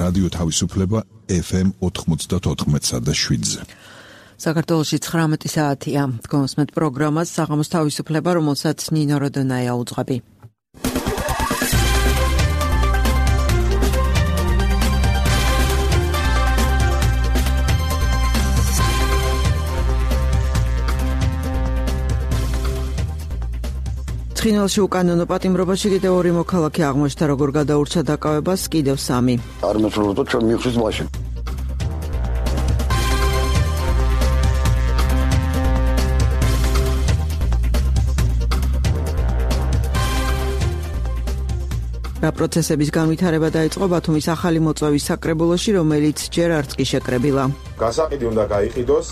რადიო თავისუფლება FM 94.7-ზე. საქართველოში 19 საათია. გონსმეთ პროგრამას საღამოს თავისუფლება, რომელსაც ნინო როდონაია უძღვები. ცხინვალში უკანონო პატიმრობაში კიდევ 2 მოქალაქე აღმოჩნდა, როგორ გადაურჩა დაკავებას კიდევ 3. არ მეცხოვრო ჩვენ მიხრის მაშინ. რა პროცესების განვითარება დაიწყო ბათუმის ახალი მოწვევის საკრებულოში, რომელიც ჯერ არც კი შეკრებილა. გასაყიდი უნდა გაიყიდოს.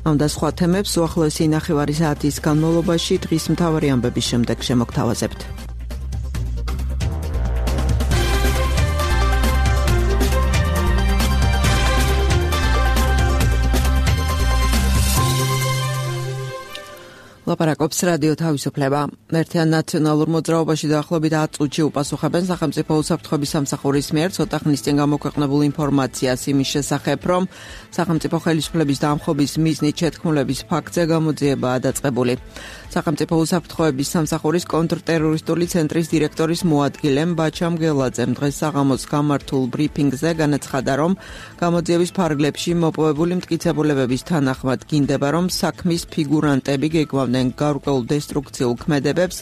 ამ და სხვა თემებს უახლოესი ნახევარი საათის განმავლობაში დღის მთავარი ამბების შემდეგ შემოგთავაზებთ. ლაპარაკობს რადიო თავისუფლება. ერთიან ნაციონალურ მოძრაობაში დაახლოებით 10 წუთში უპასუხებენ სახელმწიფო უსაფრთხოების სამსახურის მიერ ცოტა ხნის წინ გამოქვეყნებულ ინფორმაციას იმის შესახებ, რომ სახელმწიფო ხელისუფლების დამხობის მიზნით შეთქმულების ფაქტზე გამოძიებაა დაწყებული. სახელმწიფო უსაფრთხოების სამსახურის კონტრტერორისტული ცენტრის დირექტორის მოადგილემ ბაჩამ გელაძემ დღეს საღამოს გამართულ ბრიფინგზე განაცხადა, რომ გამოძიების ფარგლებში მოპოვებული მტკიცებულებების თანახმად გინდება, რომ საქმის ფიგურანტები გეგმავდნენ გარკვეულ დესტრუქციულ ქმედებებს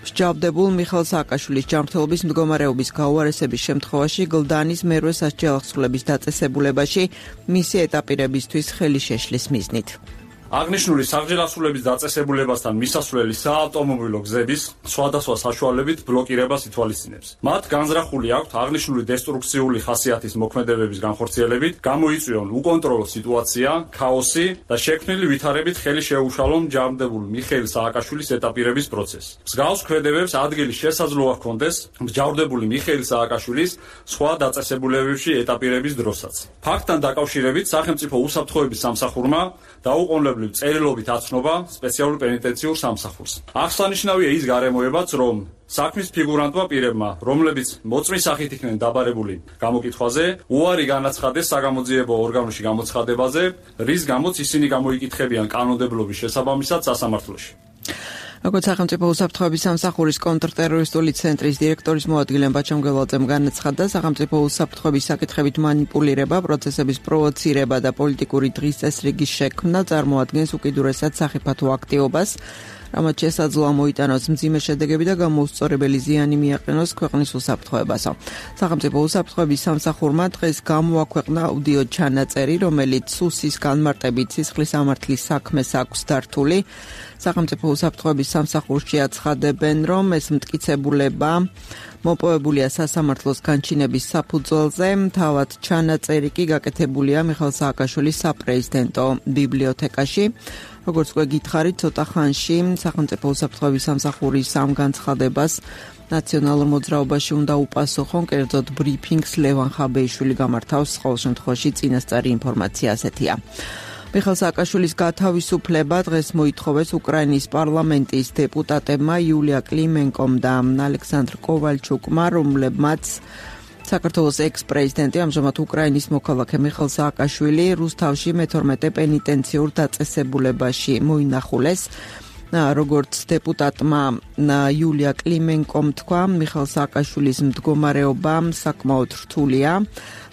მსჯავრდებულ მიხეილ სააკაშვილის ჯანმრთელობის მდგომარეობის გაუარესების შემთხვევაში გლდანის მერვე სასჯელახსრულების დაწესებულებაში მისი ეტაპირებისთვის ხელი შეშლის მიზნით. აღნიშნული სასჯელახსრულების დაწესებულებასთან მისასვლელი საავტომობილო გზების სხვადასხვა საშუალებით ბლოკირებას ითვალისწინებს. მათ განზრახული აქვთ აღნიშნული დესტრუქციული ხასიათის მოქმედებების განხორციელებით გამოიწვიონ უკონტროლო სიტუაცია, ქაოსი და შექმნილი ვითარებით ხელი შეუშალონ ჯანმრთელობულ მიხეილ სააკაშვილის ეტაპირების პროცესს. მსგავს ქმედებებს ადგილი შესაძლოა ჰქონდეს მსჯავრდებული მიხეილ სააკაშვილის სხვა დაწესებულებებში ეტაპირების დროსაც. ფაქტთან დაკავშირებით სახელმწიფო უსაფრთხოების სამსახურმა დაუყოვნებლივ წერილობით აცნობა სპეციალურ პენიტენციურ სამსახურს. აღსანიშნავია ის გარემოებაც, რომ საქმის ფიგურანტმა პირებმა, რომლებიც მოწმის სახით იქნენ დაბარებული გამოკითხვაზე, უარი განაცხადეს საგამოძიებო ორგანოში გამოცხადებაზე, რის გამოც ისინი გამოიკითხებიან კანონმდებლობის შესაბამისად სასამართლოში. როგორც სახელმწიფო უსაფრთხოების სამსახურის კონტრტერორისტული ცენტრის დირექტორის მოადგილემ ბაჩამ გელაძემ განაცხადა, სახელმწიფო უსაფრთხოების საკითხებით მანიპულირება, პროცესების პროვოცირება და პოლიტიკური დღის წესრიგის შექმნა წარმოადგენს უკიდურესად სახიფათო აქტივობას, რამაც შესაძლოა მოიტანოს მძიმე შედეგები და გამოუსწორებელი ზიანი მიაყენოს ქვეყნის უსაფრთხოებასო. სახელმწიფო უსაფრთხოების სამსახურმა დღეს გამოაქვეყნა აუდიო ჩანაწერი, რომელიც სუსის განმარტებით სისხლის ამართლის საქმეს აქვს დართული. სახელმწიფო უსაფრთხოების სამსახურში აცხადებენ, რომ ეს მტკიცებულება მოპოვებულია სასამართლოს განჩინების საფუძველზე. თავად ჩანაწერი კი გაკეთებულია მიხეილ სააკაშვილის საპრეზიდენტო ბიბლიოთეკაში. როგორც უკვე გითხარით, ცოტა ხანში სახელმწიფო უსაფრთხოების სამსახურის ამ განცხადებას ნაციონალურ მოძრაობაში უნდა უპასუხონ, კერძოდ ბრიფინგს ლევან ხაბეიშვილი გამართავს, ყოველ შემთხვევაში წინასწარი ინფორმაცია ასეთია. მიხეილ სააკაშვილის გათავისუფლება დღეს მოითხოვეს უკრაინის პარლამენტის დეპუტატებმა იულია კლიმენკომ და ალექსანდრ კოვალჩუკმა, რომლებმაც საქართველოს ექს-პრეზიდენტი, ამჟამად უკრაინის მოქალაქე მიხეილ სააკაშვილი რუსთავში მე-12 პენიტენციურ დაწესებულებაში მოინახულეს. როგორც დეპუტატმა იულია კლიმენკომ თქვა, მიხეილ სააკაშვილის მდგომარეობა საკმაოდ რთულია.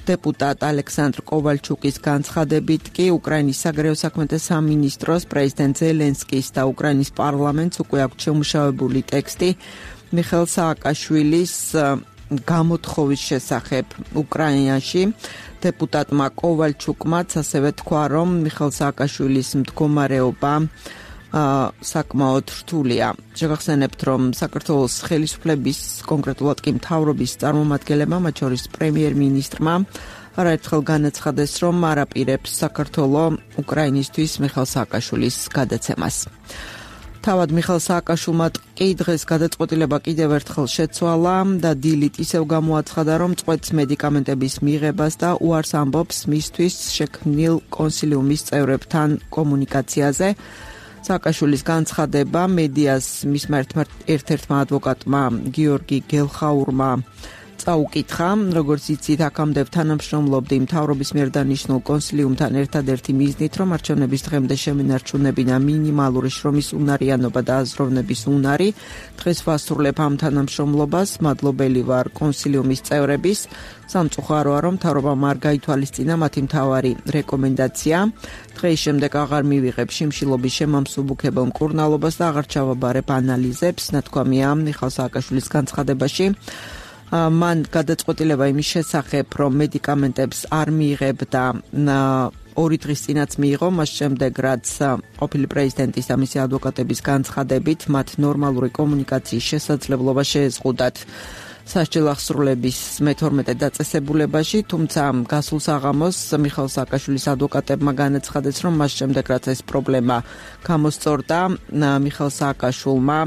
დეპუტატ ალექსანდრ კოვალჩუკის განცხადებით კი უკრაინის საგარეო საქმეთა სამინისტროს, პრეზიდენტ ზელენსკის და უკრაინის პარლამენტს უკვე აქვს შემუშავებული ტექსტი მიხეილ სააკაშვილის გამოთხოვის შესახებ უკრაინაში. დეპუტატმა კოვალჩუკმაც ასევე თქვა, რომ მიხეილ სააკაშვილის მდგომარეობა საკმაოდ რთულია. შეგახსენებთ, რომ საქართველოს ხელისუფლების, კონკრეტულად კი მთავრობის წარმომადგენლებმა, მათ შორის პრემიერ-მინისტრმა არაერთხელ განაცხადეს, რომ არ აპირებს საქართველოს უკრაინისთვის მიხეილ სააკაშვილის გადაცემას. თავად მიხეილ სააკაშვილმა კი დღეს გადაწყვეტილება კიდევ ერთხელ შეცვალა და დილით ისევ გამოაცხადა, რომ წყვეტს მედიკამენტების მიღებას და უარს ამბობს მისთვის შექმნილ კონსილიუმის წევრებთან კომუნიკაციაზე. სააკაშვილის განცხადება მედიას მისმა ერთ-ერთმა ადვოკატმა გიორგი გელხაურმა წაუკითხა, როგორც იცით, აქამდე თანამშრომლობდი მთავრობის მიერ დანიშნულ კონსილიუმთან ერთადერთი მიზნით, რომ არჩევნების დღემდე შემენარჩუნებინა მინიმალური შრომის უნარიანობა და აზროვნების უნარი. დღეს ვასრულებ ამ თანამშრომლობას, მადლობელი ვარ კონსილიუმის წევრების. სამწუხაროა, რომ მთავრობამ არ გაითვალისწინა მათი მთავარი რეკომენდაცია. დღის შემდეგ აღარ მივიღებ შიმშილობის შემამსუბუქებელ მკურნალობას და აღარ ჩავაბარებ ანალიზებს, ნათქვამია მიხეილ სააკაშვილის განცხადებაში. მან გადაწყვეტილება იმის შესახებ, რომ მედიკამენტებს არ მიიღებდა 2 დღის წინაც მიიღო, მას შემდეგ რაც ყოფილი პრეზიდენტის და მისი ადვოკატების განცხადებით მათ ნორმალური კომუნიკაციის შესაძლებლობა შეეზღუდათ სასჯელ აღსრულების მე-12 დაწესებულებაში, თუმცა გასულ საღამოს მიხეილ სააკაშვილის ადვოკატებმა განაცხადეს, რომ მას შემდეგ რაც ეს პრობლემა გამოსწორდა, მიხეილ სააკაშვილმა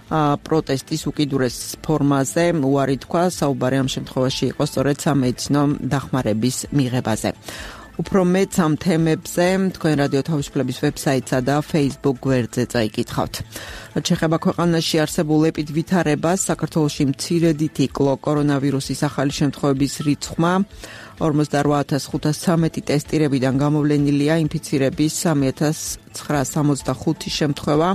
პროტესტის უკიდურეს ფორმაზე უარი თქვა, საუბარი ამ შემთხვევაში იყო სწორედ სამედიცინო დახმარების მიღებაზე. უფრო მეტ ამ თემებზე თქვენ რადიო თავისუფლების ვებსაიტსა და Facebook გვერდზე წაიკითხავთ. რაც შეეხება ქვეყანაში არსებულ ვითარებას, საქართველოში მცირედით იკლო კორონავირუსის ახალი შემთხვევების რიცხვმა 48513 ტესტირებიდან გამოვლენილია ინფიცირების 3965 შემთხვევა.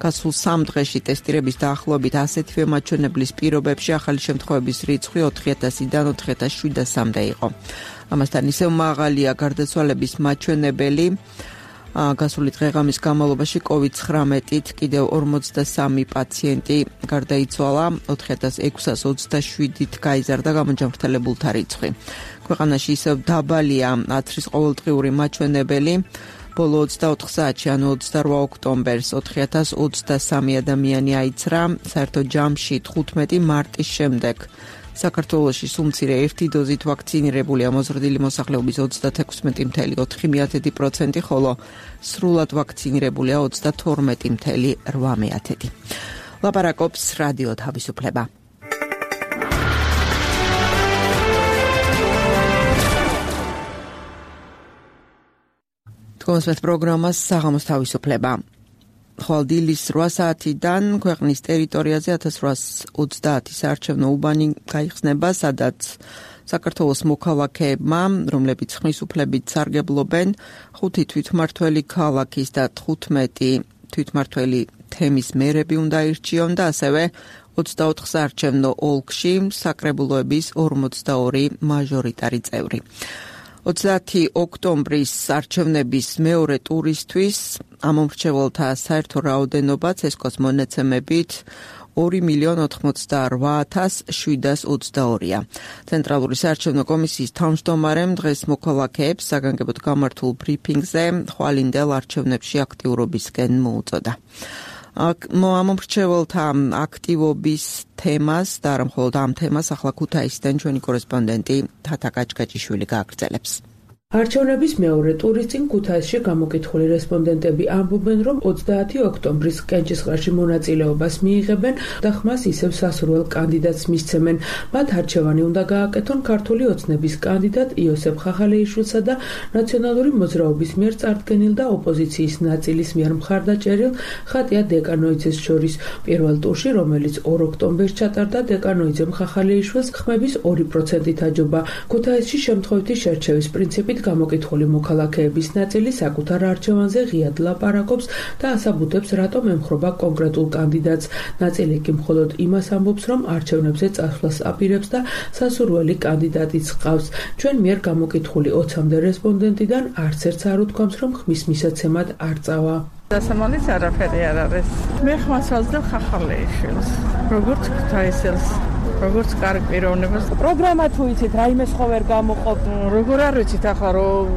გასულ 3 დღეში ტესტირების დაახლოებით ასეთივე მაჩვენებლის პირობებში ახალი შემთხვევების რიცხვი 4000-დან 4700-მდე იყო. ამასთან ისევ მაღალია გარდაცვალების მაჩვენებელი. გასული დღეღამის განმავლობაში COVID-19-ით კიდევ 43 პაციენტი გარდაიცვალა, 4627-ით გაიზარდა გამონჯამრთელებულთა რიცხვი. ქვეყანაში ისევ დაბალია ათრის ყოველდღიური მაჩვენებელი. ბოლო 24 საათში, ანუ 28 ოქტომბერს 4023 ადამიანი აიცრა, საერთო ჯამში 15 მარტის შემდეგ. საქართველოში სულ მცირე ერთი დოზით ვაქცინირებულია მოზრდილი მოსახლეობის 36.4%, ხოლო სრულად ვაქცინირებულია 32.8%. ლაპარაკობს რადიო თავისუფლება. კონსერტ პროგრამას საღამოს თავისუფლება. ხვალ დილის 8 საათიდან ქვეყნის ტერიტორიაზე 1830 საარჩევნო უბანი გაიხსნება, სადაც საქართველოს მოქალაქეებმა, რომლებიც ხმის უფლებით სარგებლობენ, 5 თვითმმართველი ქალაქის და 15 თვითმმართველი თემის მერები უნდა ირჩიონ და ასევე 24 საარჩევნო ოლქში საკრებულოების 42 მაჟორიტარი წევრი. 30 ოქტომბრის არჩევნების მეორე ტურისთვის ამომრჩეველთა საერთო რაოდენობა CESCO-ს მონაცემებით 2,88,722-ია. ცენტრალური საარჩევნო კომისიის თავმჯდომარემ დღეს მოქალაქეებს საგანგებოდ გამართულ ბრიფინგზე ხვალინდელ არჩევნებში აქტიურობისკენ მოუწოდა. ამომრჩეველთა აქტივობის თემას და არა მხოლოდ ამ თემას ახლა ქუთაისიდან ჩვენი კორესპონდენტი თათა კაჭკაჭიშვილი გააგრძელებს. არჩევნების მეორე ტურის წინ ქუთაისში გამოკითხული რესპონდენტები ამბობენ, რომ 30 ოქტომბრის კენჭისყრაში მონაწილეობას მიიღებენ და ხმას ისევ სასურველ კანდიდატს მისცემენ. მათ არჩევანი უნდა გააკეთონ ქართული ოცნების კანდიდატ იოსებ ხახალეიშვილსა და ნაციონალური მოძრაობის მიერ წარდგენილ და ოპოზიციის ნაწილის მიერ მხარდაჭერილ ხატია დეკანოიძეს შორის. პირველ ტურში, რომელიც 2 ოქტომბერს ჩატარდა, დეკანოიძემ ხახალეიშვილს ხმების 2%-ით აჯობა. ქუთაისში შემთხვევითი შერჩევის პრინციპით გამოკითხული მოქალაქეების ნაწილი საკუთარ არჩევანზე ღიად ლაპარაკობს და ასაბუთებს, რატომ ემხრობა კონკრეტულ კანდიდატს. ნაწილი კი მხოლოდ იმას ამბობს, რომ არჩევნებზე წასვლას აპირებს და სასურველი კანდიდატიც ჰყავს. ჩვენ მიერ გამოკითხული 20-მდე რესპონდენტიდან არც ერთს არ უთქვამს, რომ ხმის მისაცემად არ წავა. დასამალიც არაფერი არ არის. მე ხმას ვაძლევ ხახალეიშვილს, როგორც ქუთაისელს, როგორც კარგ პიროვნებას. პროგრამა თუ იცით, რაიმე სხვა ვერ გამოყოფ. როგორ არ ვიცით ახლა რომ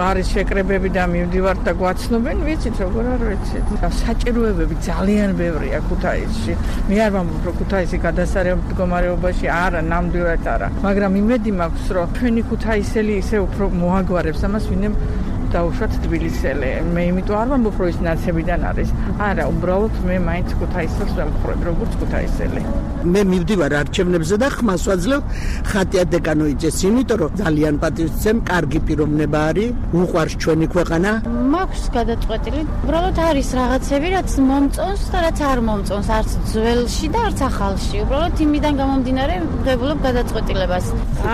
არის შეკრებები და მივდივართ და გვაცნობენ, ვიცით როგორ არ ვიცით. საჭიროებები ძალიან ბევრია ქუთაისში. მე არ ვამბობ, რომ ქუთაისი გადასარევ მდგომარეობაში არა, ნამდვილად არა. მაგრამ იმედი მაქვს, რომ ჩვენი ქუთაისელი ისე უფრო მოაგვარებს ამას, ვინმე დაუშვათ თბილისელი. მე იმიტომ არ ვამბობ, რომ ის ნაცებიდან არის. არა, უბრალოდ მე მაინც ქუთაისელს ვემხრობ, როგორც ქუთაისელი. მე მივდივარ არჩევნებზე და ხმას ვაძლევ ხატია დეკანოიძეს, იმიტომ რომ ძალიან პატივისცემ, კარგი პიროვნება არის, უყვარს ჩვენი ქვეყანა. მაქვს გადაწყვეტილი, უბრალოდ არის რაღაცები, რაც მომწონს და რაც არ მომწონს, არც ძველში და არც ახალში. უბრალოდ იმიდან გამომდინარე ვღებულობ გადაწყვეტილებას.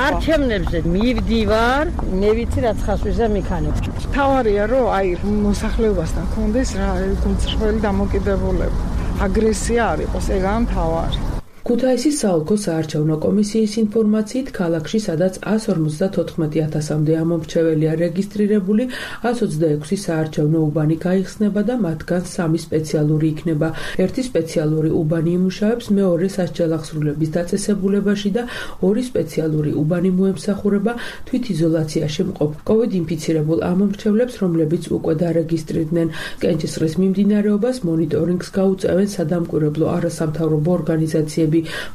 არჩევნებზე მივდივარ, მე ვიცი რაც ხასვიზა მიქანებს. თავარია რომ აი მოსახლეობასთან კონდეს რა გულწრფელი დამოკიდებულება. აგრესია არ იყოს, ეგაა მთავარი. ქუთაისის საოლქო საარჩევნო კომისიის ინფორმაციით, ქალაქში, სადაც 154,000-მდე ამომრჩეველია რეგისტრირებული, 126 საარჩევნო უბანი გაიხსნება და მათგან 3 სპეციალური იქნება. ერთი სპეციალური უბანი იმუშავებს მეორე სასჯელახსრულების დაწესებულებაში და 2 სპეციალური უბანი მოემსახურება თვითიზოლაციაში მყოფ COVID ინფიცირებულ ამომრჩევლებს, რომლებიც უკვე დარეგისტრირდნენ. კენჭისყრის მიმდინარეობას მონიტორინგს გაუწევენ სადამკვირვებლო არასამთავრობო ორგანიზაციები,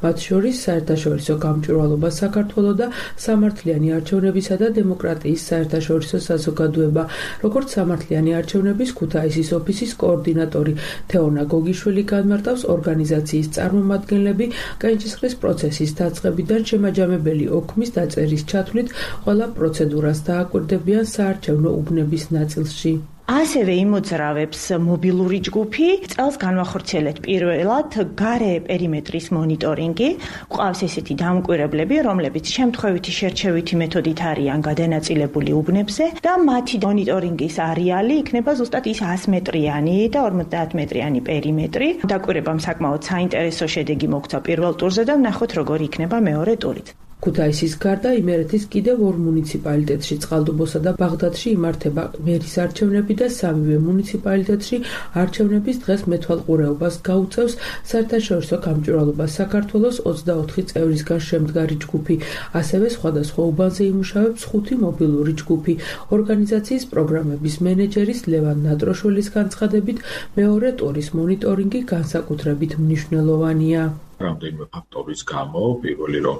მათ შორის საერთაშორისო გამჭვირვალობა საქართველო და სამართლიანი არჩევნებისა და დემოკრატიის საერთაშორისო საზოგადოება. როგორც სამართლიანი არჩევნების ქუთაისის ოფისის კოორდინატორი თეონა გოგიშვილი განმარტავს, ორგანიზაციის წარმომადგენლები კენჭისყრის პროცესის დაწყებიდან შემაჯამებელი ოქმის დაწერის ჩათვლით ყველა პროცედურას დააკვირდებიან საარჩევნო უბნების ნაწილში. ასევე იმოძრავებს მობილური ჯგუფი, წელს განვახორციელეთ პირველად გარე პერიმეტრის მონიტორინგი. გვყავს ესეთი დამკვირვებლები, რომლებიც შემთხვევითი შერჩევითი მეთოდით არიან გადანაწილებული უბნებზე და მათი მონიტორინგის არეალი იქნება ზუსტად ის 100 მეტრიანი და 50 მეტრიანი პერიმეტრი. დაკვირვებამ საკმაოდ საინტერესო შედეგი მოგვცა პირველ ტურზე და ვნახოთ როგორი იქნება მეორე ტურით. ქუთაისის გარდა იმერეთის კიდევ 2 მუნიციპალიტეტში, წყალტუბოსა და ბაღდადში იმართება მერის არჩევნები და 3 მუნიციპალიტეტში არჩევნების დღეს მეთვალყურეობას გაუწევს საერთაშორისო გამჭვირვალობა საქართველოს 24 წევრისგან შემდგარი ჯგუფი. ასევე სხვადასხვა უბანზე იმუშავებს 5 მობილური ჯგუფი. ორგანიზაციის პროგრამების მენეჯერის ლევან ნატროშვილის განცხადებით, მეორე ტურის მონიტორინგი განსაკუთრებით მნიშვნელოვანია. რამდენიმე ფაქტორის გამო, პირველი რომ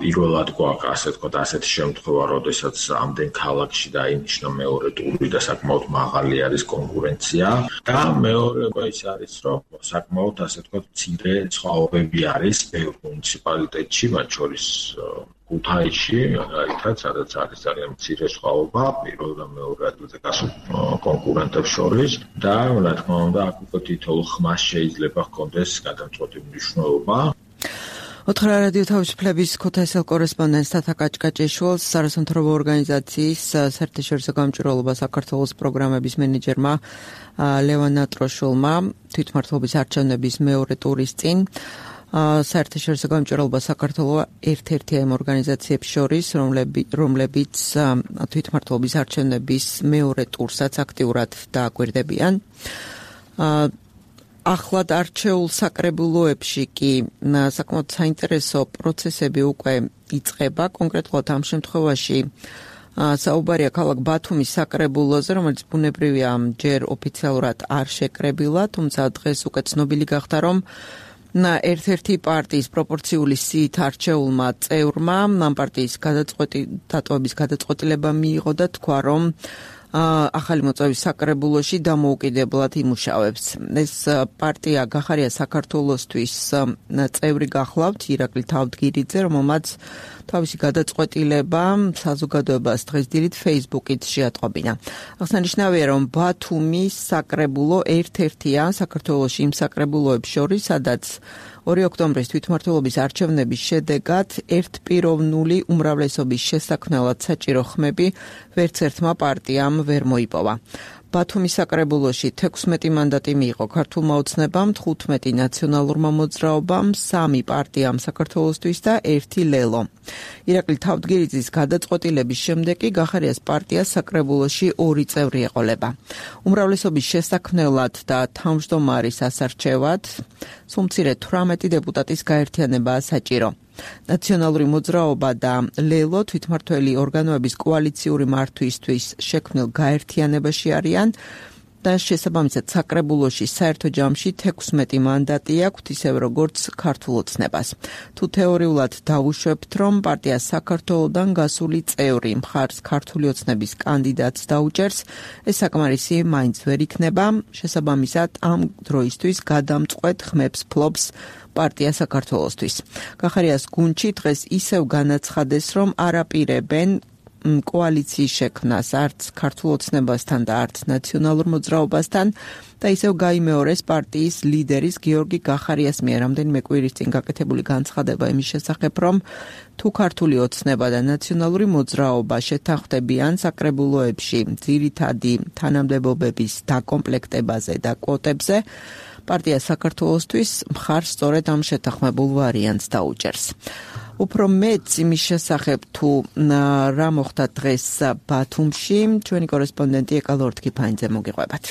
პირველად გვაქვს ასე თქვა ასეთი შემთხვევა, როდესაც ამდენ ქალაქში დაინიშნა მეორე ტური და საკმაოდ მაღალი არის კონკურენცია და მეორე ის არის, რომ საკმაოდ ასე თქვა მცირე სხვაობები არის ბევრ მუნიციპალიტეტში, მათ შორის ქუთაისში, რაითაც სადაც არის ძალიან მცირე სხვაობა პირველ და მეორე ადგილზე გასულ კონკურენტებს შორის და რა თქმა უნდა აქ უკვე თითოეულ ხმას შეიძლება ჰქონდეს გადამწყვეტი მნიშვნელობა. ოთხრა რადიო თავისუფლების ქუთაისელ კორესპონდენტს თათა კაჭკაჭიშვილს, არასამთავრობო ორგანიზაციის საერთაშორისო გამჭვირვალობა საქართველოს პროგრამების მენეჯერმა ლევან ნატროშვილმა თვითმმართველობის არჩევნების მეორე ტურის წინ საერთაშორისო გამჭვირვალობა საქართველოს ერთ-ერთია იმ ორგანიზაციებს შორის, რომლებიც თვითმმართველობის არჩევნების მეორე ტურსაც აქტიურად დააკვირდებიან. ახლად არჩეულ საკრებულოებში კი საკმაოდ საინტერესო პროცესები უკვე იწყება, კონკრეტულად ამ შემთხვევაში საუბარია ქალაქ ბათუმის საკრებულოზე, რომელიც ბუნებრივია ჯერ ოფიციალურად არ შეკრებილა, თუმცა დღეს უკვე ცნობილი გახდა, რომ ერთ-ერთი პარტიის პროპორციული სიით არჩეულმა წევრმა ამ პარტიის დატოვების გადაწყვეტილება მიიღო და თქვა, რომ ახალი მოწვევის საკრებულოში დამოუკიდებლად იმუშავებს. ეს პარტია გახარია საქართველოსთვის წევრი გახლავთ ირაკლი თავდგირიძე, რომელმაც თავისი გადაწყვეტილება საზოგადოებას დღეს დილით Facebook-ით შეატყობინა. აღსანიშნავია, რომ ბათუმის საკრებულო ერთ-ერთია საქართველოში იმ საკრებულოებს შორის, სადაც 2 ოქტომბრის თვითმმართველობის არჩევნების შედეგად ერთპიროვნული უმრავლესობის შესაქმნელად საჭირო ხმები ვერც ერთმა პარტიამ ვერ მოიპოვა. ბათუმის საკრებულოში 16 მანდატი მიიღო ქართულმა ოცნებამ, 15 ნაციონალურმა მოძრაობამ, 3 პარტიამ საქართველოსთვის და 1 ლელო. ირაკლი თავდგირიძის გადაწყვეტილების შემდეგ კი გახარიას პარტიას საკრებულოში 2 წევრი ეყოლება. უმრავლესობის შესაქმნელად და თავმჯდომარის ასარჩევად სულ მცირე 18 დეპუტატის გაერთიანებაა საჭირო. ნაციონალური მოძრაობა და ლელო თვითმმართველი ორგანოების კოალიციური მართვისთვის შექმნილ გაერთიანებაში არიან და შესაბამისად საკრებულოში საერთო ჯამში 16 მანდატი აქვთ, ისევ როგორც ქართულ ოცნებას. თუ თეორიულად დავუშვებთ, რომ პარტია საქართველოდან გასული წევრი მხარს ქართული ოცნების კანდიდატს დაუჭერს, ეს საკმარისი მაინც ვერ იქნება. შესაბამისად, ამ დროისთვის გადამწყვეტ ხმებს ფლობს პარტია საქართველოსთვის. გახარიას გუნდში დღეს ისევ განაცხადეს, რომ არაპირებენ კოალიციის შექმნას არც ქართულ ოცნებასთან და არც ნაციონალურ მოძრაობასთან და ისევ გაიმეორეს პარტიის ლიდერის გიორგი გახარიას მიერ რამდენიმე კვირის წინ გაკეთებული განცხადება იმის შესახებ, რომ თუ ქართული ოცნება და ნაციონალური მოძრაობა შეთანხმდებიან საკრებულოებში ძირითადი თანამდებობების დაკომპლექტებაზე და კვოტებზე, პარტია საქართველოსთვის მხარს სწორედ ამ შეთანხმებულ ვარიანტს დაუჭერს. უფრო მეც იმის შესახებ თუ რა მოხდა დღეს ბათუმში, ჩვენი კორესპონდენტი ეკალორთ კიფაინძე მოგიყვებათ.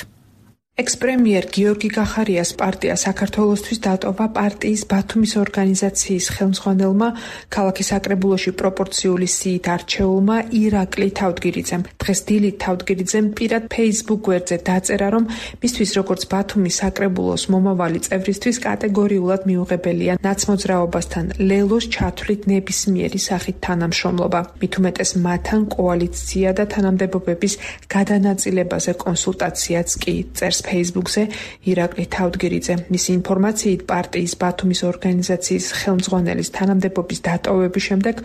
ექს-პრემიერ გიორგი გახარიას პარტია საქართველოსთვის დატოვა პარტიის ბათუმის ორგანიზაციის ხელმძღვანელმა ქალაქის საკრებულოში პროპორციული სიით არჩეულმა ირაკლი თავდგირიძემ. დღეს დილით თავდგირიძემ პირად Facebook გვერდზე დაწერა, რომ მისთვის როგორც ბათუმის საკრებულოს მომავალი წევრისთვის კატეგორიულად მიუღებელია ნაცმოძრაობასთან ლელოს ჩათვლით ნებისმიერი სახით თანამშრომლობა. მით უმეტეს მათთან კოალიცია და თანამდებობების გადანაწილებაზე კონსულტაციაც კი წერს Facebook-ზე ირაკლი თავდგირიძე. მისი ინფორმაციით პარტიის ბათუმის ორგანიზაციის ხელმძღვანელის თანამდებობის დატოვების შემდეგ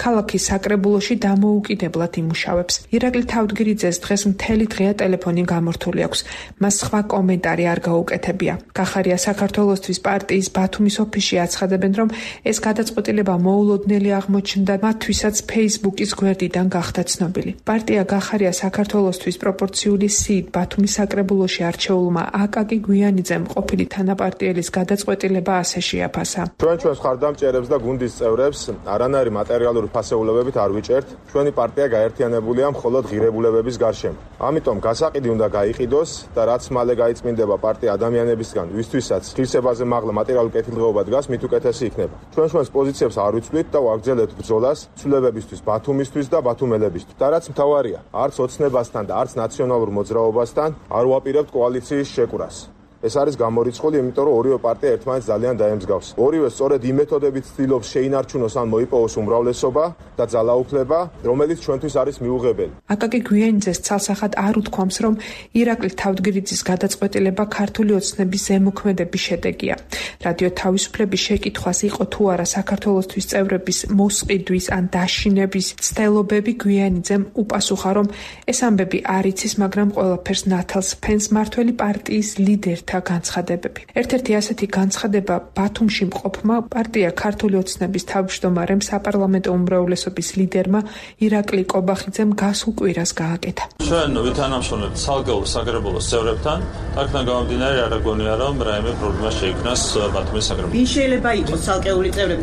ქალაქის საკრებულოში დამოუკიდებლად იმუშავებს. ირაკლი თავდგირიძეს დღეს მთელი დღეა ტელეფონი გამორთული აქვს. მას სხვა კომენტარი არ გაუკეთებია. გახარია საქართველოსთვის პარტიის ბათუმის ოფისში აცხადებენ, რომ ეს გადაწყვეტილება მოულოდნელი აღმოჩნდა მათთვისაც Facebook-ის გვერდიდან გახდა ცნობილი. პარტია გახარია საქართველოსთვის პროპორციული სიით ბათუმის საკრებულოში არჩეულმა აკაკი გვიანიძემ ყოფილი თანაპარტიელის გადაწყვეტილება ასე შეაფასა. ჩვენს მხარდამჭერებს და გუნდის წევრებს არანაირი მატერიალური ფასეულებებით არ ვიჭერთ. ჩვენი პარტია გაერთიანებულია მხოლოდ ღირებულებების გარშემო. ამიტომ გასაყიდი უნდა გაიყიდოს და რაც მალე გაიწმინდება პარტია ადამიანებისგან, ვისთვისაც ღირსებაზე მაღლა მატერიალური კეთილდღეობა დგას, მით უკეთესი იქნება. ჩვენს პოზიციებს არ ვიცვლით და ვაგრძელებთ ბრძოლას ცვლილებებისთვის, ბათუმისთვის და ბათუმელებისთვის. და რაც მთავარია, არც ოცნებასთან და არც ნაციონალურ მოძრაობასთან არ ვაპირებთ კოალიციის შეკვრას. ეს არის გამორიცხული, იმიტომ რომ ორივე პარტია ერთმანეთს ძალიან დაემსგავს. ორივე სწორედ იმ მეთოდებით ცდილობს შეინარჩუნოს ან მოიპოვოს უმრავლესობა და ძალაუფლება, რომელიც ჩვენთვის არის მიუღებელი. აკაკი გვიანიძეს ცალსახად არ უთქვამს, რომ ირაკლი თავდგირიძის გადაწყვეტილება ქართული ოცნების ზემოქმედების შედეგია. რადიო თავისუფლების შეკითხვას იყო თუ არა საქართველოსთვის წევრების მოსყიდვის ან დაშინების ცდილობები, გვიანიძემ უპასუხა, რომ ეს ამბები არ იცის, მაგრამ ყველაფერს ნათელს ფენს მართველი პარტიის ლიდერთა განცხადებები. ერთ-ერთი ასეთი განცხადება ბათუმში მყოფმა პარტია ქართული ოცნების თავმჯდომარემ საპარლამენტო უმრავლესობის ლიდერმა ირაკლი კობახიძემ გასულ კვირას გააკეთა. ჩვენ ვითანამშრომლებთ ცალკეულ საკრებულოს წევრებთან, აქედან გამომდინარე არ გონია რომ რაიმე პრობლემა შეიქმნას ბათუმის საკრებულოში. ვინ შეიძლება იყოს ცალკეული წევრები?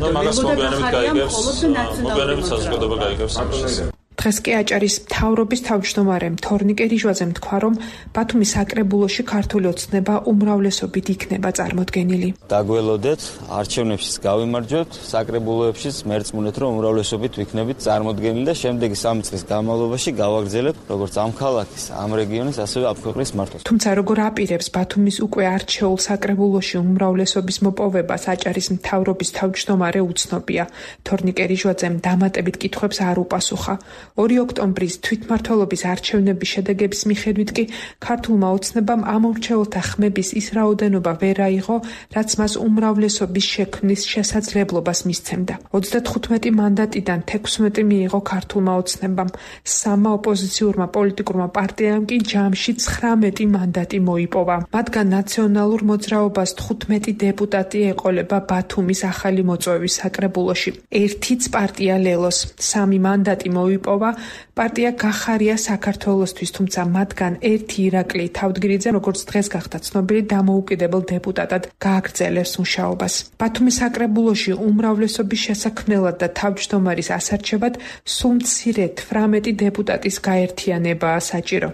მოგვიანებით საზოგადოება გაიგებს ამას. დღეს კი აჭარის მთავრობის თავმჯდომარემ თორნიკე რიჟვაძემ თქვა, რომ ბათუმის საკრებულოში ქართული ოცნება უმრავლესობით იქნება წარმოდგენილი. დაგველოდეთ, არჩევნებშიც გავიმარჯვებთ, საკრებულოებშიც მერწმუნეთ, რომ უმრავლესობით ვიქნებით წარმოდგენილი და შემდეგი 3 წლის განმავლობაში გავაგრძელებთ როგორც ამ ქალაქის, ამ რეგიონის, ასევე ამ ქვეყნის მართვას. თუმცა როგორ აპირებს ბათუმის უკვე არჩეულ საკრებულოში უმრავლესობის მოპოვებას აჭარის მთავრობის თავმჯდომარე უცნობია. თორნიკე რიჟვაძემ დამატებით კითხვებს არ უპასუხა. 2 ოქტომბრის თვითმმართველობის არჩევნების შედეგების მიხედვით კი ქართულმა ოცნებამ ამორჩეულთა ხმების ის რაოდენობა ვერ აიღო, რაც მას უმრავლესობის შექმნის შესაძლებლობას მისცემდა. 35 მანდატიდან 16 მიიღო ქართულმა ოცნებამ, 3 ოპოზიციურმა პოლიტიკურმა პარტიამ კი ჯამში 19 მანდატი მოიპოვა. მათგან ნაციონალურ მოძრაობას 15 დეპუტატი ეყოლება ბათუმის ახალი მოწვევის საკრებულოში. ერთიც პარტია ლელოს 3 მანდატი მოიპოვა პარტია გახარია საქართველოსთვის, თუმცა მათგან ერთი ირაკლი თავდგირიძე, როგორც დღეს გახდა ცნობილი, დამოუკიდებელ დეპუტატად გააგრძელებს მუშაობას. ბათუმის საკრებულოში უმრავლესობის შესაქმნელად და თავმჯდომარის ასარჩევად სულ მცირედ 18 დეპუტატის გაერთიანებაა საჭირო.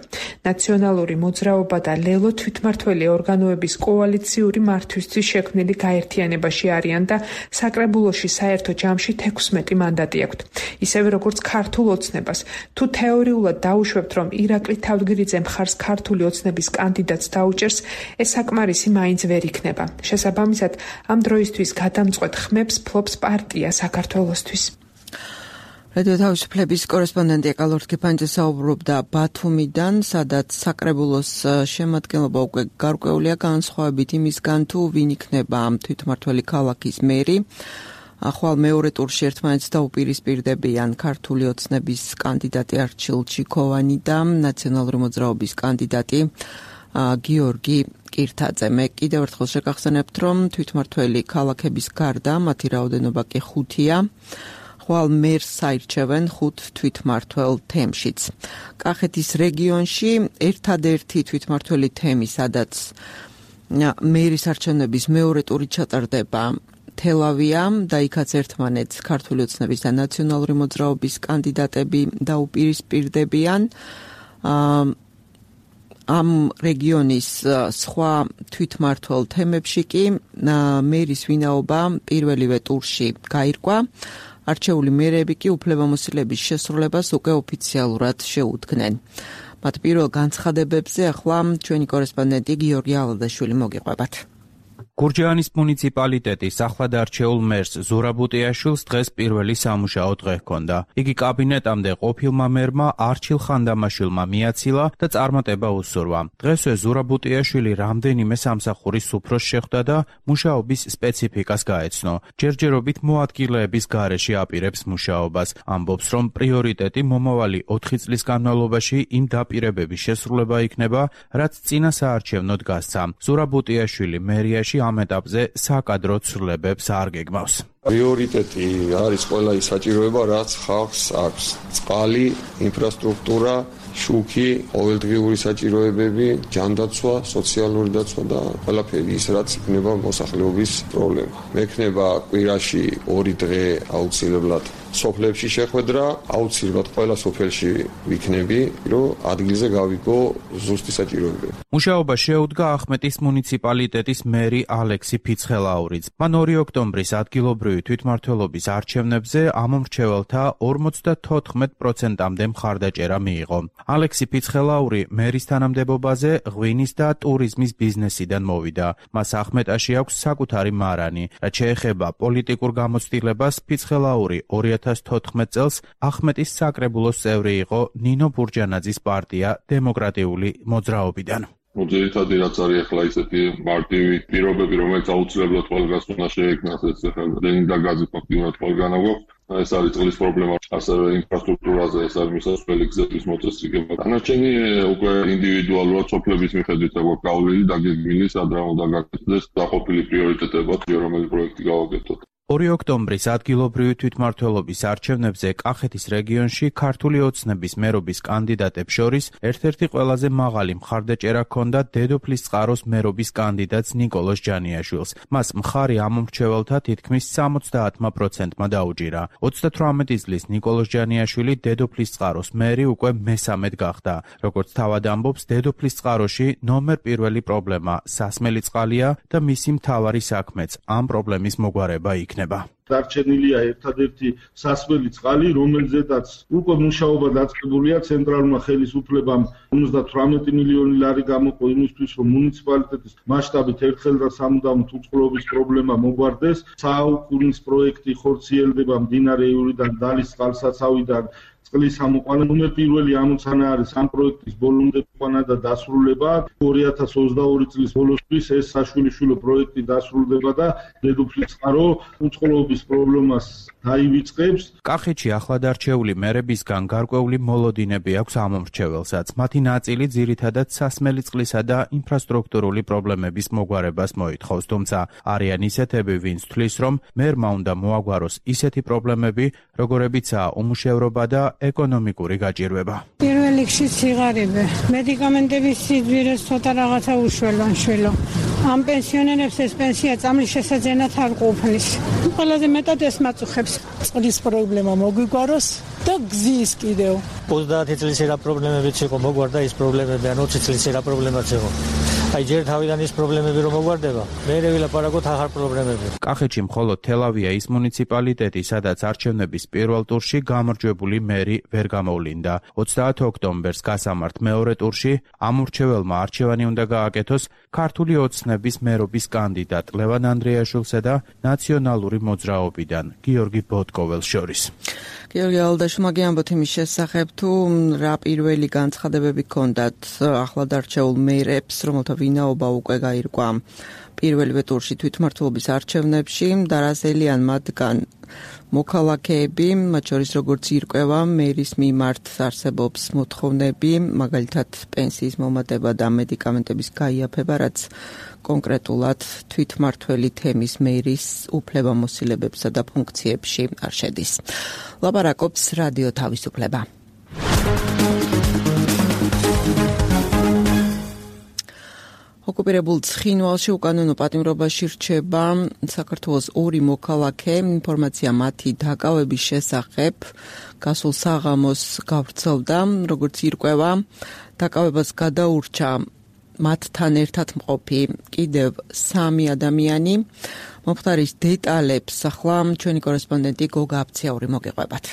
ნაციონალური მოძრაობა და ლელო თვითმმართველი ორგანოების კოალიციური მართვისთვის შექმნილი გაერთიანებაში არიან და საკრებულოში საერთო ჯამში 16 მანდატი აქვთ. ისევე როგორც ქართულ ოცნებას ოცნებას. თუ თეორიულად დაუშვებთ, რომ ირაკლი თავდგირიძე მხარს ქართული ოცნების კანდიდატს დაუჭერს, ეს საკმარისი მაინც ვერ იქნება. შესაბამისად, ამ დროისთვის გადამწყვეტ ხმებს ფლობს პარტია საქართველოსთვის. რადიო თავისუფლების კორესპონდენტი ეკალორთ გიფანიძე საუბრობდა ბათუმიდან, სადაც საკრებულოს შემადგენლობა უკვე გარკვეულია განსხვავებით იმისგან, თუ ვინ იქნება ამ თვითმმართველი ქალაქის მერი. ახვალ მეორე ტურში ერთმანეთს დაუპირისპირდებიან ქართული ოცნების კანდიდატი არჩილ ჩიქოვანი და ნაციონალური მოძრაობის კანდიდატი გიორგი კირთაძე. მე კიდევ ერთხელ შეგახსენებთ, რომ თვითმმართველი ქალაქების გარდა მათი რაოდენობა კი 5-ია. ხვალ მერს საირჩევენ 5 თვითმმართველ თემშიც. კახეთის რეგიონში ერთადერთი თვითმმართველი თემი, სადაც მერის არჩევნების მეორე ტური ჩატარდება, თელავია და იქაც ერთმანეთს ქართული ოცნების და ნაციონალური მოძრაობის კანდიდატები დაუპირისპირდებიან. ამ რეგიონის სხვა თვითმმართველ თემებში კი მერის ვინაობა პირველივე ტურში გაირკვა. არჩეული მერები კი უფლებამოსილების შესრულებას უკვე ოფიციალურად შეუდგნენ. მათ პირველ განცხადებებზე ახლა ჩვენი კორესპონდენტი გიორგი ალადაშვილი მოგიყვებათ. გურჯაანის მუნიციპალიტეტის ახლად არჩეულ მერს ზურაბუტიაშვილს დღეს პირველი სამუშაო დღე ჰქონდა. იგი კაბინეტამდე ყოფილმა მერმა არჩილ ხანდამაშვილმა მიაცილა და წარმატება უსურვა. დღესვე ზურაბუტიაშვილი რამდენიმე სამსახურის უფროსს შეხვდა და მუშაობის სპეციფიკას გაეცნო. ჯერჯერობით მოადგილეების გარეშე აპირებს მუშაობას. ამბობს, რომ პრიორიტეტი მომავალი 4 წლის განმავლობაში იმ დაპირებების შესრულება იქნება, რაც წინა საარჩევნოდ გასცა. ზურაბუტიაშვილი მერიაში ამ ეტაპზე საკადრო ცვლილებებს არ გეგმავს. პრიორიტეტი არის ყველა ის საჭიროება, რაც ხალხს აქვს. წყალი, ინფრასტრუქტურა, შუქი, ყოველდღიური საჭიროებები, ჯანდაცვა, სოციალური დაცვა და ყველაფერი ის, რაც იქნება მოსახლეობის პრობლემა. მექნება კვირაში 2 დღე აუცილებლად სოფლებში შეხვედრა, აუცილებლად ყველა სოფელში ვიქნები, რომ ადგილზე გავიგო ზუსტი საჭიროებები. მუშაობა შეუდგა ახმეტის მუნიციპალიტეტის მერი ალექსი ფიცხელაურიც. მან 2 ოქტომბრის ადგილობრივი თვითმმართველობის არჩევნებზე ამ მრჩეველთა 54%-მდე მხარდაჭერა მიიღო. ალექსი ფიცხელაური მერის თანამდებობაზე ღვინის და ტურიზმის ბიზნესიდან მოვიდა. მას ახმეტაში აქვს საკუთარი მარანი. რაც შეეხება პოლიტიკურ გამოცდილებას, ფიცხელაური 2014 წელს ახმეტის საკრებულოს წევრი იყო ნინო ბურჯანაძის პარტია დემოკრატიული მოძრაობიდან. ძირითადად რაც არის ახლა ისეთი მარტივი პირობები, რომელიც აუცილებლად ყველგან უნდა შეექმნას, ეს ახლა დენი და გაზი ფაქტიურად ყველგან აგვაქვს. ეს არის წყლის პრობლემა, ასევე ინფრასტრუქტურაზე, ეს არის მისასვლელი გზების მოწესრიგება. დანარჩენი უკვე ინდივიდუალურად სოფლების მიხედვით აგვაქვს გავლილი დაგეგმილი, სად რა უნდა გაკეთდეს, დაყოფილი პრიორიტეტებად, რომელი პროექტი გავაკეთოთ. 2 ოქტომბრის ადგილობრივი თვითმმართველობის არჩევნებზე კახეთის რეგიონში ქართული ოცნების მერობის კანდიდატებს შორის ერთ-ერთი ყველაზე მაღალი მხარდაჭერა ჰქონდა დედოფლის წყაროს მერობის კანდიდატს ნიკოლოზ ჯანიაშვილს. მას მხარი ამ მრჩეველთა თითქმის 70%-მა დაუჭირა. 38 წლის ნიკოლოზ ჯანიაშვილი დედოფლის წყაროს მერი უკვე მესამედ გახდა. როგორც თავად ამბობს, დედოფლის წყაროში ნომერ პირველი პრობლემა სასმელი წყალია და მისი მთავარი საქმეც ამ პრობლემის მოგვარება იქნება. დარჩენილია ერთადერთი სასმელი წყალი, რომელზედაც უკვე მუშაობა დაწყებულია ცენტრალურმა ხელისუფლებამ 58 მილიონი ლარი გამოყო იმისთვის, რომ მუნიციპალიტეტის მასშტაბით ერთხელ და სამუდამოდ უწყლობის პრობლემა მოგვარდეს. საუკუნის პროექტი ხორციელდება მდინარე ივრიდან დალის წყალსაცავიდან წყლის ამოყვანა. ნომერ პირველი ამოცანა არის ამ პროექტის ბოლომდე ყვანა და დასრულება. 2022 წლის ბოლოსთვის ეს საშვილიშვილო პროექტი დასრულდება და დედოფლის წყარო უწყლობის პრობლემას დაივიწყებს. კახეთში ახლად არჩეული მერებისგან გარკვეული მოლოდინები აქვს ამ მრჩეველსაც. მათი ნაწილი ძირითადად სასმელი წყლისა და ინფრასტრუქტურული პრობლემების მოგვარებას მოითხოვს, თუმცა არიან ისეთები, ვინც თვლის, რომ მერმა უნდა მოაგვაროს ისეთი პრობლემები, როგორებიცაა უმუშევრობა და ეკონომიკური გაჭირვება. პირველ რიგში სიღარიბე, მედიკამენტების სიძვირეს ცოტა რაღაცა უშველო. ამ პენსიონერებს ეს პენსია წამლის შესაძენად არ ყოფნის. ყველაზე მეტად ეს მაწუხებს. წყლის პრობლემა მოგვიგვაროს და გზის კიდევ. 30 წლის რა პრობლემებიც იყო, მოგვარდა ის პრობლემები, ან 20 წლის რა პრობლემაც იყო. აი ჯერ თავიდან ის პრობლემები რომ მოგვარდება, მერე ვილაპარაკოთ ახალ პრობლემები. კახეთში მხოლოდ თელავია ის მუნიციპალიტეტი, სადაც არჩევნების პირველ ტურში გამარჯვებული მერი ვერ გამოვლინდა. 30 ოქტომბერს გასამართ მეორე ტურში ამურჩეველმა არჩევანი უნდა გააკეთოს ქართული ოცნების მერობის კანდიდატ ლევან ანდრეაშვილსა და ნაციონალური მოძრაობიდან გიორგი ბოტკოველს შორის. გიორგი ალდაშვილმა გიამბოთ იმის შესახებ, თუ რა პირველი განცხადებები ჰქონდათ ახლად არჩეულ მერებს, რომელთა ვინაობა უკვე გაირკვა პირველივე ტურში თვითმმართველობის არჩევნებში და რა ზელიან მათგან მოქალაქეები, მათ შორის როგორც ირკვევა მერის მიმართ არსებობს მოთხოვნები, მაგალითად პენსიის მომატება და მედიკამენტების გაიაფება, რაც კონკრეტულად თვითმმართველი თემის მერის უფლებამოსილებებსა და ფუნქციებში არ შედის. ლაპარაკობს რადიო თავისუფლება. ოკუპირებულ ცხინვალში უკანონო პატიმრობაში რჩება საქართველოს 2 მოქალაქე. ინფორმაცია მათი დაკავების შესახებ გასულ საღამოს გავრცელდა, როგორც ირკვევა, დაკავებას გადაურჩა მათთან ერთად მყოფი კიდევ 3 ადამიანი. მომხდარის დეტალებს ახლა ჩვენი კორესპონდენტი გოგა აფციაური მოგეყვებათ.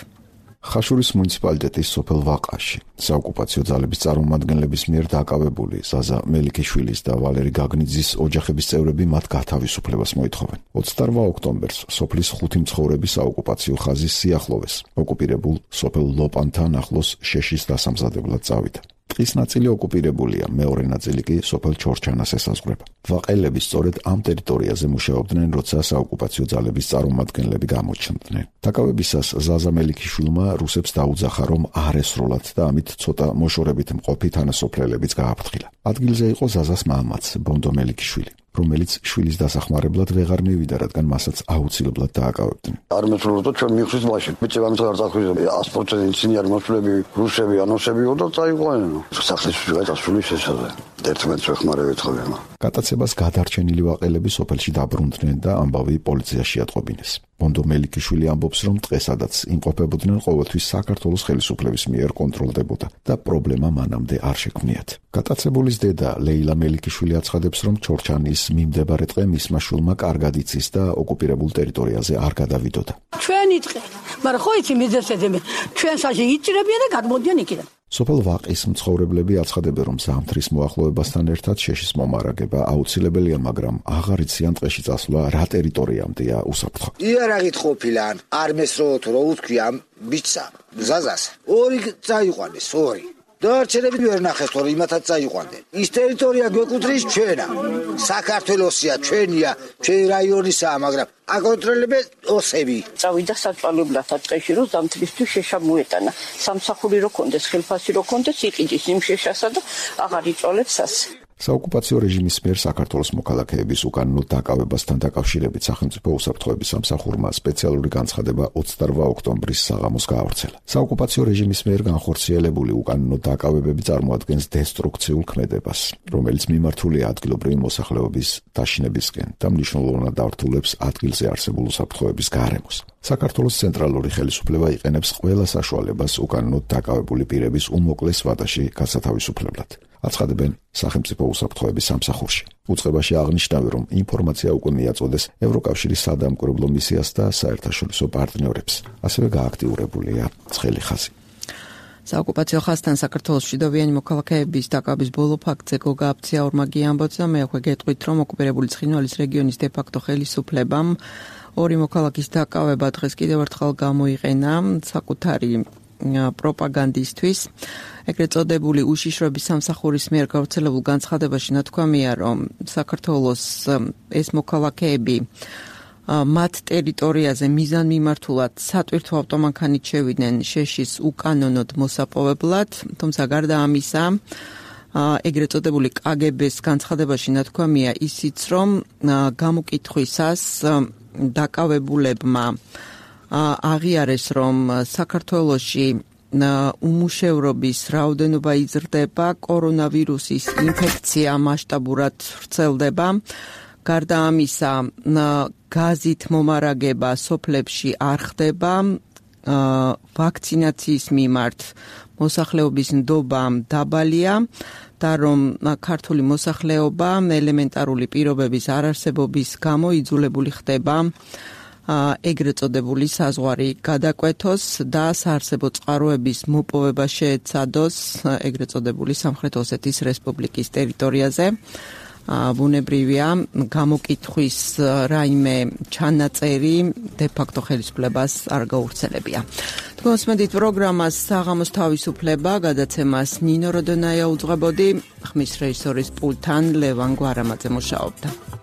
ხაშურის მუნიციპალიტეტის სოფელ ვაყაში საოკუპაციო ძალების წარმომადგენლების მიერ დაკავებული ზაზა მელიქიშვილის და ვალერი გაგნიძის ოჯახების წევრები მათ გათავისუფლებას მოითხოვენ. 28 ოქტომბერს სოფლის 5 მცხოვრები საოკუპაციო ხაზის სიახლოვეს ოკუპირებულ სოფელ ლოპანთან ახლოს შეშის დასამზადებლად წავიდა. ტყის ნაწილი ოკუპირებულია, მეორე ნაწილი კი სოფელ ჩორჩანას ესაზღვრება. ვაყელები სწორედ ამ ტერიტორიაზე მუშაობდნენ, როცა საოკუპაციო ძალების წარმომადგენლები გამოჩნდნენ. დაკავებისას ზაზა მელიქიშვილმა რუსებს დაუძახა, რომ არ ესროლათ და ამით ცოტა მოშორებით მყოფი თანასოფლელებიც გააფრთხილა. ადგილზე იყო ზაზას მამაც, ბონდო მელიქიშვილი, რომელიც შვილის დასახმარებლად ვეღარ მივიდა, რადგან მასაც აუცილებლად დააკავებდნენ. არ მეცხოვრო ჩვენ მიხსის მაშინ. ბიჭებამ წარ წახვიდა 100% ინჟინერი მოსვლები, რუსები, ანონსები და წაიყვანენ. სახლის გასული შესაძლოა. 11 ვეხმარებით ხომ. გატაცებას გადარჩენილი ვაყელები სოფელში დაბრუნდნენ და ამბავი პოლიციაში ატყობინეს. ბონდო მელიქიშვილი ამბობს, რომ დღესადაც იმყოფებოდნენ ყოველთვის საქართველოს ხელისუფლების მიერ კონტროლდებოდა და პრობლემა მანამდე არ შექმნიათ. გატაცებულის დედა ლეილა მელიქიშვილი აცხადებს, რომ ჩორჩანის მიმდებარე ტყე მისმა შვილმა კარგად იცის და ოკუპირებულ ტერიტორიაზე არ გადავიდოდა. ჩვენი ტყე, მაგრამ ხო იცი მიზეზები, ჩვენ საში იჭრებიან და გადმოდიან იქიდან. სოფელ ვაყის მცხოვრებლები აცხადებენ, რომ ზამთრის მოახლოებასთან ერთად შეშის მომარაგება აუცილებელია, მაგრამ აღარ იციან ტყეში წასვლა რა ტერიტორიამდეა უსაფრთხო. იარაღით ყოფილან, არ მესროლოთ რო უთქვია ბიჭსა, ზაზას. 2 წაიყვანეს, 2. დარჩენები ვერ ნახეს, თორე იმათაც წაიყვანდნენ. ის ტერიტორია გვეკუთვნის ჩვენა. საქართველოსია, ჩვენია, ჩვენი რაიონისაა, მაგრამ აკონტროლებენ ოსები. წავიდა საწვალებლად ტყეში, რომ ზამთრისთვის შეშა მოეტანა. სამსახური რო კონდეს, ხელფასი რო კონდეს, იყიდის იმ შეშასა და აღარ იწოლებს ასე. საოკუპაციო რეჟიმის მიერ საქართველოს მოქალაქეების უკანონო დაკავებასთან დაკავშირებით სახელმწიფო უსაფრთხოების სამსახურმა სპეციალური განცხადება 28 ოქტომბრის საღამოს გაავრცელა. საოკუპაციო რეჟიმის მიერ განხორციელებული უკანონო დაკავებები წარმოადგენს დესტრუქციულ ქმედებას, რომელიც მიმართულია ადგილობრივი მოსახლეობის დაშინებისკენ და მნიშვნელოვნად ართულებს ადგილზე არსებულ უსაფრთხოების გარემოს. საქართველოს ცენტრალური ხელისუფლება იყენებს ყველა საშუალებას უკანონოდ დაკავებული პირების უმოკლეს ვადაში გასათავისუფლებლად. აცხადებენ სახელმწიფო უსაფრთხოების სამსახურში. უწყებაში აღნიშნავენ, რომ ინფორმაცია უკვე მიაწოდეს ევროკავშირის სადამკვირვებლო მისიას და საერთაშორისო პარტნიორებს. ასევე გააქტიურებულია ცხელი ხაზი. საოკუპაციო ხაზთან საქართველოს მშვიდობიანი მოქალაქეების დაკავების ბოლო ფაქტზე გოგა აფციაურმა გიამბობს და მე უკვე გეტყვით, რომ ოკუპირებული ცხინვალის რეგიონის დე-ფაქტო ხელისუფლებამ 2 მოქალაქის დაკავება დღეს კიდევ ერთხელ გამოიყენა საკუთარი პროპაგანდისთვის. ეგრეთ წოდებული უშიშროების სამსახურის მიერ გავრცელებულ განცხადებაში ნათქვამია, რომ საქართველოს ეს მოქალაქეები მათ ტერიტორიაზე მიზანმიმართულად სატვირთო ავტომანქანით შევიდნენ შეშის უკანონოდ მოსაპოვებლად, თუმცა გარდა ამისა ეგრეთ წოდებული კგბ-ს განცხადებაში ნათქვამია ისიც, რომ გამოკითხვისას დაკავებულებმა აღიარეს, რომ საქართველოში უმუშევრობის რაოდენობა იზრდება, კორონავირუსის ინფექცია მასშტაბურად ვრცელდება. გარდა ამისა, გაზით მომარაგება სოფლებში არ ხდება, ვაქცინაციის მიმართ მოსახლეობის ნდობა დაბალია და რომ ქართული მოსახლეობა ელემენტარული პირობების არარსებობის გამო იძულებული ხდება ეგრეთ წოდებული საზღვარი გადაკვეთოს და საარსებო წყაროების მოპოვება შეეცადოს ეგრეთ წოდებული სამხრეთ ოსეთის რესპუბლიკის ტერიტორიაზე. ბუნებრივია გამოკითხვის რაიმე ჩანაწერი დე-ფაქტო ხელისუფლებას არ გაურცელებია. თქვენს მედით პროგრამას საღამოს თავისუფლება გადაცემას ნინო როდონაია უძღვებოდი, ხმის რეჟისორის პულტთან ლევან გვარამაძე მუშაობდა.